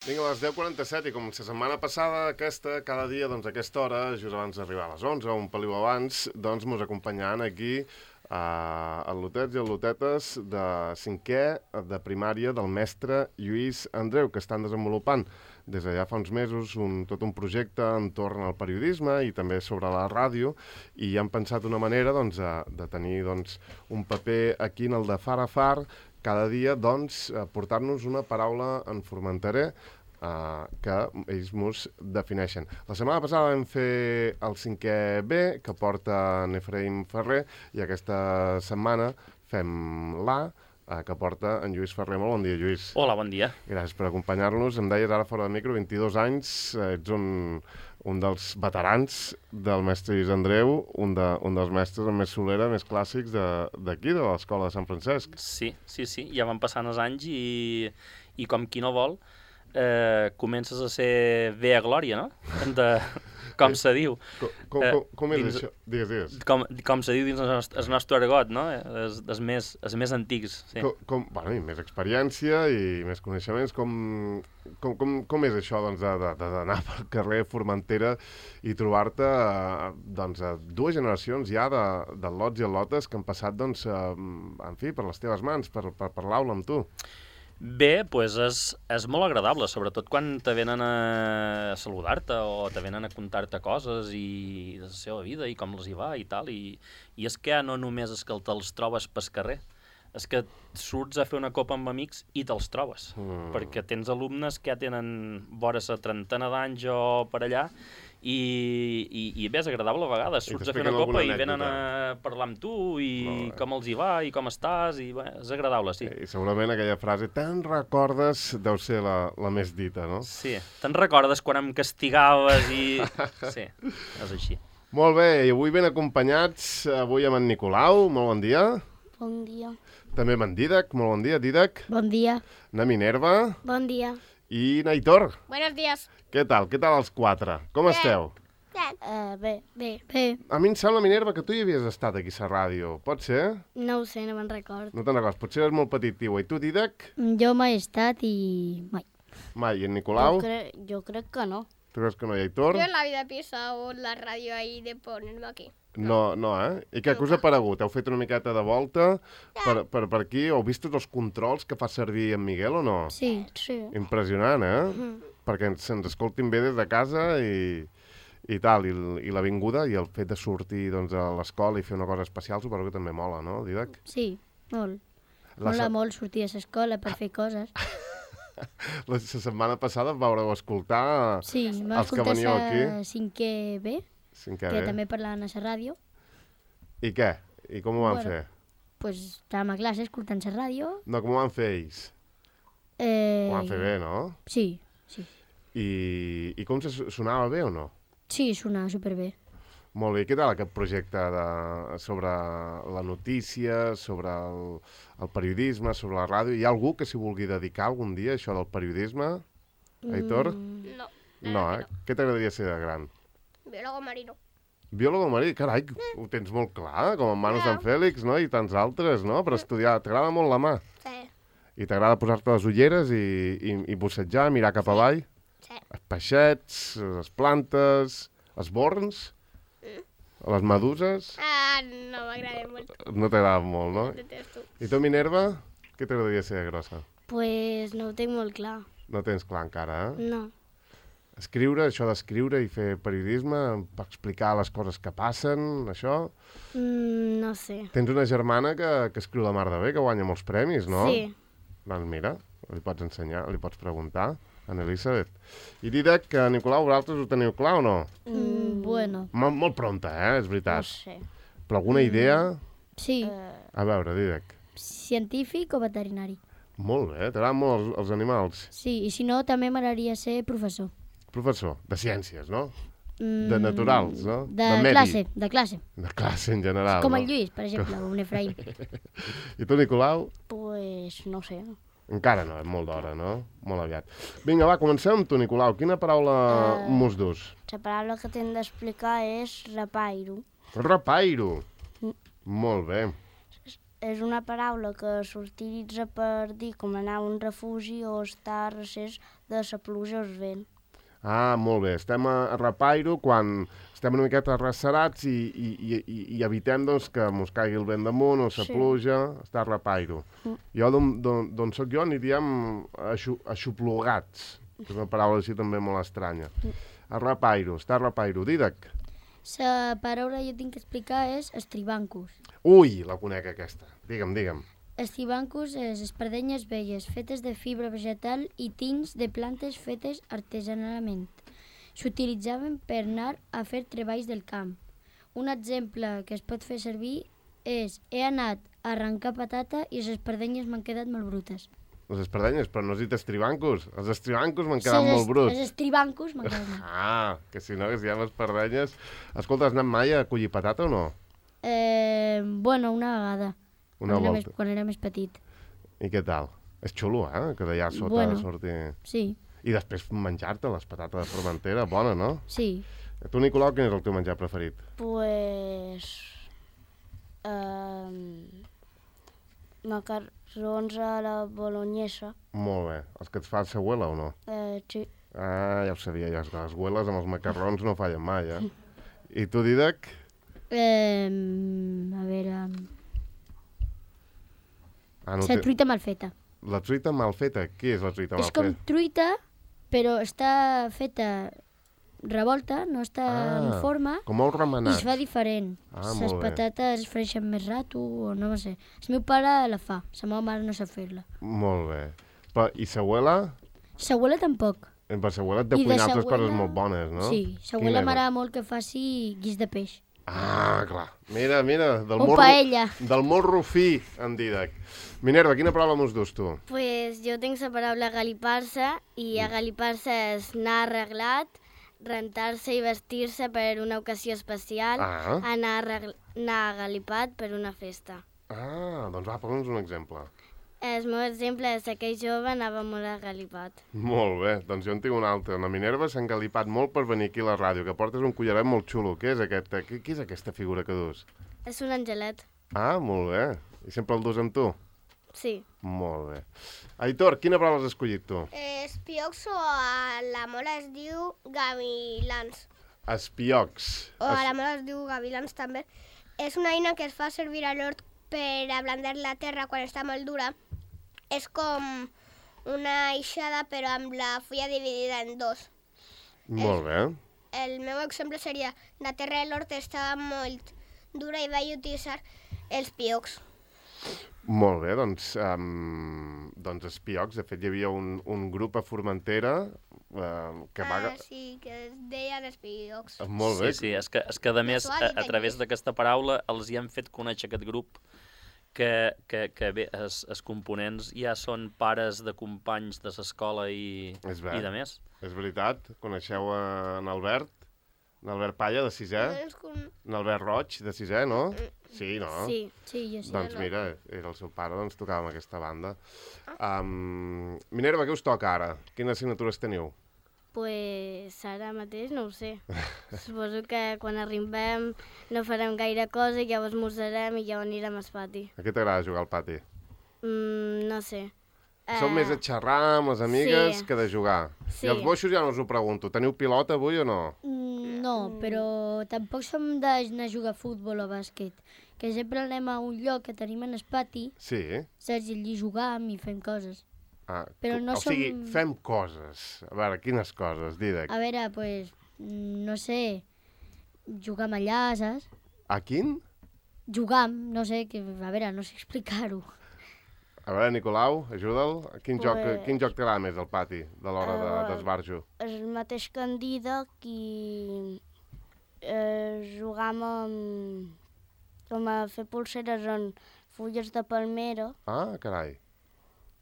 Vinga, a les 10:47 i com la setmana passada, cada dia, doncs, a aquesta hora, just abans d'arribar a les 11 o un peliu abans, doncs, mos acompanyaran aquí el Lotets i el Lotetes de 5è de primària del mestre Lluís Andreu, que estan desenvolupant des de ja fa uns mesos tot un projecte entorn al periodisme i també sobre la ràdio, i han pensat una manera doncs, de tenir doncs, un paper aquí en el de Far a Far, cada dia, doncs, portar-nos una paraula en formenterè que ells mos defineixen. La setmana passada vam fer el 5è B, que porta en Efraïm Ferrer, i aquesta setmana fem l'A, que porta en Lluís Ferrer. Molt bon dia, Lluís. Hola, bon dia. Gràcies per acompanyar-nos. Em deies ara fora de micro, 22 anys, ets un dels veterans del mestre Lluís Andreu, un dels mestres amb més solera, més clàssics d'aquí, de l'Escola de Sant Francesc. Sí, ja van passant els anys i com qui no vol, comences a ser bé a glòria, no? Com se diu. Com és això? Digues. Com se diu dins el nostre argot, no? Els més antics. Sí. Bueno, i més experiència i més coneixements. Com és això doncs, d'anar pel carrer Formentera i trobar-te doncs, a dues generacions ja de lots i lotes que han passat doncs, en fi, per les teves mans, per l'aula amb tu? Bé, doncs és molt agradable, sobretot quan te venen a saludar-te o te venen a contar-te coses i de la seva vida i com els hi va i tal. I és que no només és que te'ls trobes pel carrer, és que surts a fer una copa amb amics i te'ls trobes, perquè tens alumnes que ja tenen vora la trentena d'anys o per allà i bé, és agradable a vegades, surts a fer una copa i venen a parlar amb tu i com els hi va i com estàs, i bé, és agradable, sí. I segurament aquella frase, te'n recordes, deu ser la més dita, no? Sí, te'n recordes quan em castigaves i... Sí, és així. Molt bé, i avui ben acompanyats, avui amb en Nicolau, molt bon dia. Bon dia. També amb en Dídac, molt bon dia, Dídac. Bon dia. Na Minerva. Bon dia. I Naitor. Buenos días. Què tal els quatre? Com esteu? Bé. A mi em sembla, Minerva, que tu hi havies estat aquí a la ràdio. Pot ser? No ho sé, no me'n record. No te'n recordes, potser eres molt petit, tio. I tu, Dídac? Jo mai he estat i mai. Mai. I en Nicolau? Jo crec que no. Tu creus que no? I Aitor? Yo en la vida he pisado la radio ahí de ponerme aquí. No, I què us ha paregut? Heu fet una miqueta de volta per aquí? Heu vist tots els controls que fa servir en Miguel o no? Sí. Impressionant, Perquè se'ns escoltin bé des de casa i tal, i l'avinguda i el fet de sortir doncs, a l'escola i fer una cosa especial suposo que també mola, no, Dídac? Sí, molt. Mola molt sortir a l'escola per fer coses. La setmana passada vaureu escoltar Sí, els que veníeu aquí. 5è B, que també parlaven a la ràdio. I què? I com ho van fer? Pues estàvem a classe escoltant la ràdio. No, com ho van fer ells? Ho van fer bé, no? Sí. I com sonava bé o no? Sí, sonava superbé. Molt bé. I què tal aquest projecte sobre la notícia, sobre el periodisme, sobre la ràdio? Hi ha algú que s'hi vulgui dedicar algun dia, això del periodisme? Aitor? No. No, Què t'agradaria ser de gran? Biólogo marino. Biòleg marí? Carai, ho tens molt clar, com en Manu Sant Fèlix, no? I tants altres, no? Per estudiar. T'agrada molt la mà? Sí. I t'agrada posar-te les ulleres i bussejar, mirar cap avall? Sí. Els peixets, les plantes, els borns, les meduses... No m'agrada molt. No t'agrada molt, no? Detesto. I tu, Minerva, què t'agradaria ser de grossa? Pues no ho tinc molt clar. No tens clar encara, No. Escriure, això d'escriure i fer periodisme, per explicar les coses que passen, això... No sé. Tens una germana que escriu la mar de bé, que guanya molts premis, no? Sí. Doncs mira, li pots ensenyar, li pots preguntar, a Elisabet. I Dídac, que Nicolau, vosaltres ho teniu clar o no? Bueno. Molt pronta, és No veritat. sé. Però alguna idea? Sí. A veure, Dídac. Científic o veterinari? Molt bé, t'agraden molt els animals. Sí, i si no, també m'agradaria ser professor. Professor, de ciències, no? De naturals, no? De medi. classe, de classe. De classe en general, Com no? el Lluís, per exemple, o un Efraïm. I tu, Nicolau? Pues no sé. Encara no, és molt d'hora, no? Molt aviat. Vinga, va, comencem amb tu, Nicolau. Quina paraula mos dus? La paraula que t'hem d'explicar és repairo. Repairo. Molt bé. és una paraula que s'utilitza per dir com anar a un refugi o estar a recés de la pluja o el vent. Ah, molt bé. Estem a repairo quan estem una miqueta arrecerats i evitem doncs, que mos caigui el vent damunt o la pluja, està a repairo. Jo, d'on soc jo, aniríem aixoplugats, que és una paraula així també molt estranya. A repairo, està a repairo. Didac. La paraula que jo tinc que explicar és estribancus. Ui, la conec aquesta. Digue'm. Estribancus és espardenyes velles fetes de fibra vegetal i tints de plantes fetes artesanalment. S'utilitzaven per anar a fer treballs del camp. Un exemple que es pot fer servir és he anat a arrencar patata i les espardenyes m'han quedat molt brutes. Les espardenyes, però no has dit estribancus. Els estribancus m'han quedat molt bruts. Els estribancus m'han quedat molt. Ah, que si no, que si hi ha espardenyes... Escolta, has anat mai a collir patata o no? Bueno, una vegada. Quan era més petit. I què tal? És xulo, que d'allà sota sortir... Sí. I després menjar-te les patates de Formentera, bona, no? Sí. Tu, Nicolau, quin és el teu menjar preferit? Pues... macarrons a la bolognesa. Molt bé. Els que et fa sa abuela o no? Sí. Ah, ja ho sabia, les abueles amb els macarrons no fallen mai, I tu, Didac? A veure... La truita mal feta. La truita mal feta? Què és la truita mal feta? És com truita, però està feta revolta, no està en forma. Com ous remenats. I es fa diferent. Les patates es freixen més rato, o no sé. El meu pare la fa, la meva mare no sap fer-la. Molt bé. I sa abuela? Sa abuela tampoc. Per sa abuela et deu cuinar altres coses molt bones, no? Sí, sa abuela m'agrada molt que faci guix de peix. Ah, clar. Mira, paella. Del morro fi, en Didac. Minerva, quina paraula mos dus tu? Pues jo tinc la paraula galipar-se, i agalipar-se és anar arreglat, rentar-se i vestir-se per una ocasió especial, anar agalipat per una festa. Ah, doncs va, posa'ns un exemple. El meu exemple és que aquell jove anava molt agalipat. Molt bé, doncs jo en tinc un altre. La Minerva s'ha engalipat molt per venir aquí a la ràdio, que portes un collaret molt xulo. Què és aquesta figura que dus? És un angelet. Ah, molt bé. I sempre el dus amb tu? Sí. Molt bé. Aitor, quina paraula has escollit tu? Espiocs o a la mola es diu gavilans. Espiocs. O a la mola es diu gavilans també. És una eina que es fa servir a l'hort per ablandar la terra quan està molt dura. És com una aixada però amb la fulla dividida en dos. Molt bé. El meu exemple seria la terra de l'hort estava molt dura i vaig utilitzar els piocs. Molt bé, doncs espiocs. De fet, hi havia un grup a Formentera que va... sí, que es deien espiocs. Molt bé. Sí, és que a més, a través d'aquesta paraula els hi han fet conèixer aquest grup que bé, els components ja són pares de companys de l'escola i de més. És veritat. Coneixeu en Albert Palla, de 6è? En Albert Roig, de 6è, no? Sí, no? Sí, jo sí. Doncs mira, era el seu pare, doncs tocava amb aquesta banda. Minerva, què us toca ara? Quines assignatures teniu? Pues ara mateix no ho sé. Suposo que quan arribem no farem gaire cosa i llavors esmorzarem i llavors anirem al pati. A què t'agrada jugar al pati? No sé. Som més a xerrar amb les amigues que de jugar. Sí. I els boixos ja no us ho pregunto. Teniu pilota avui o no? No, però tampoc som d'anar a jugar a futbol o bàsquet. Que sempre anem a un lloc que tenim en el pati. Sí. Saps? I allí jugam i fem coses. Però no o sigui, fem coses. A veure, quines coses, Didac? A veure, pues, no sé, jugam allà, saps? A quin? Jugam, no sé, a veure, no sé explicar-ho. A veure, Nicolau, ajuda'l. Quin joc t'agrada més al pati, de l'hora d'esbarjo? El mateix que en Didac i jugam com a fer pulseres en fulles de palmera. Ah, carai.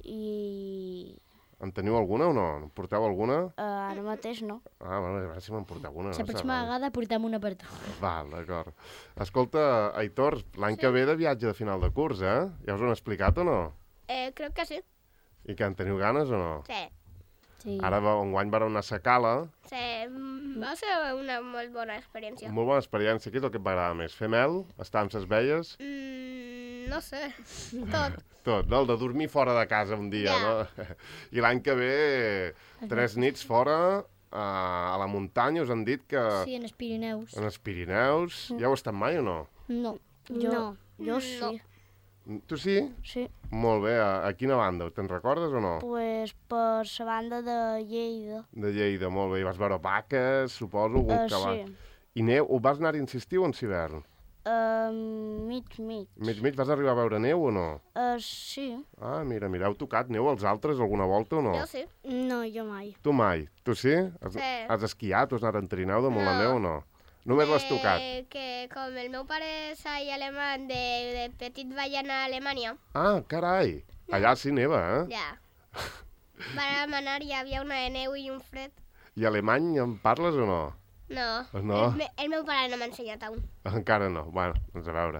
I... En teniu alguna o no? En porteu alguna? Ara mateix no. Ah, bueno, a veure si me'n porteu alguna. La pròxima vegada portem una per tu. Val, d'acord. Escolta, Aitor, l'any que ve de viatge de final de curs, Ja us ho han explicat o no? Crec que sí. I que en teniu ganes o no? Sí. Ara enguany vareu anar a Sacala. Sí, va ser una molt bona experiència. Molt bona experiència. Què és el que et va agradar més? Fer mel? Estar amb ses veies? No sé, tot. Tot, no? El de dormir fora de casa un dia, no? I l'any que ve, 3 nits fora, a la muntanya, us han dit que... Sí, en els Pirineus. En els Pirineus. Ja heu estat mai o no? No. Jo sí. Tu sí? Sí. Molt bé. A quina banda? Te'n recordes o no? Pues per la banda de Lleida. De Lleida, molt bé. I vas veure vaques, suposo, algun cavall. Sí. I neu, o vas anar-hi en estiu o en hivern? Mig. Mig. Vas arribar a veure neu o no? Sí. Ah, mira, heu tocat neu als altres alguna volta o no? Jo sí. No, jo mai. Tu mai. Tu sí? Sí. Has esquiat o has anat en trineu damunt la neu o no? Només l'has tocat? Que com el meu pare és alemany, de petit vaig anar a Alemanya. Ah, carai. Allà sí neva, eh? Ja. Vam anar, hi havia una de neu i un fred. I alemany en parles o no? No. No? El meu pare no m'ha ensenyat aún. Encara no. Bueno, doncs a veure.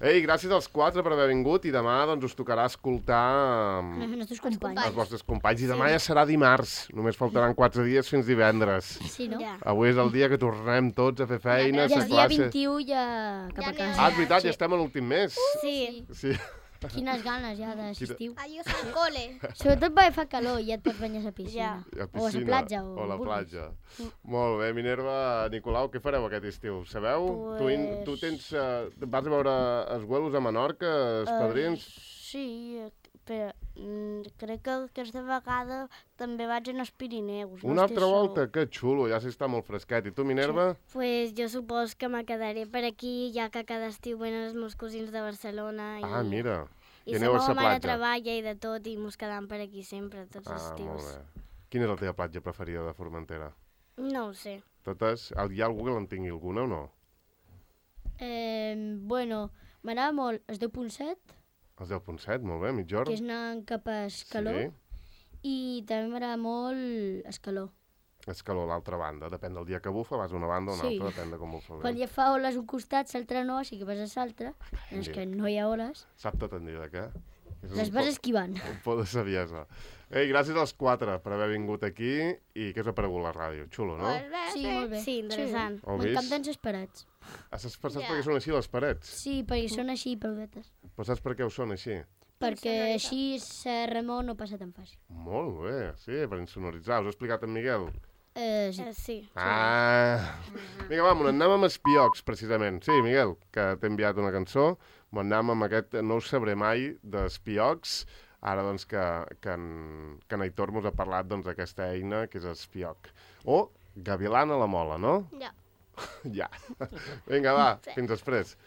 Ei, gràcies als 4 per haver vingut i demà doncs us tocarà escoltar Els nostres companys. els vostres companys. I demà ja serà dimarts. Només faltaran 4 dies fins divendres. Sí, no? Ja. Avui és el dia que tornem tots a fer feina, a Ja fer és dia classe. 21 ja cap a Ja casa. Ah, és veritat, ja estem a l'últim mes. Sí. Sí. Quines ganes ja d'assistiu. Adiós al cole. Sobretot perquè fa calor i ja et pots banyar a la piscina. A O a la platja. O a la vulguis. platja. Molt bé, Minerva, Nicolau, què fareu aquest estiu? Sabeu? Pues... Tu tens... vas a veure els vuelos a Menorca, els padrins? Sí, però crec que aquesta vegada també vaig anar als Pirineus. Una altra volta? Que xulo, ja s'està molt fresquet. I tu, Minerva? Pues jo supos que me quedaré per aquí, ja que cada estiu venen els meus cosins de Barcelona. Ah, mira. I I la aneu a meva la mare platja. treballa i de tot, i mos quedam per aquí sempre, tots els Ah, estius. molt bé. Quina és la teva platja preferida de Formentera? No ho sé. Totes? Hi ha algú que en tingui alguna o no? Bueno, m'agrada molt el 10.7, Els 10.7, molt bé, mitjorn. que és anant cap a Escaló, Sí. i també m'agrada molt Escaló. Escaló, l'altra banda. Depèn del dia que bufa, vas a una banda o una Sí. altra, depèn de com bufa. Quan ja fa oles un costat, l'altre no, així que vas a l'altre. És mira. que no hi ha oles. Sap tot en dia, què? És Les un vas po- esquivant. Un por de saviesa. Ei, gràcies als 4 per haver vingut aquí i què us ha paregut la ràdio? Xulo, no? Pues bé, Sí, molt bé. Sí, interessant. Ho vist? M'encanten les parets. Saps per Ja. què són així les parets? Sí, perquè són així, peludetes. Però saps per què ho són així? Perquè així la remor no passa tan fàcil. Molt bé, sí, per insonoritzar. Us ho ha explicat en Miguel? Sí. Sí. Ah! Vinga, va, anem amb Espiocs, precisament. Sí, Miguel, que t'he enviat una cançó. Anem amb aquest No ho sabré mai d'Espiocs. Ara, doncs, que en Aitor mos ha parlat d'aquesta eina que és Espioc. O Gavilan a la mola, no? Ja. Ja. Vinga, va, fins després.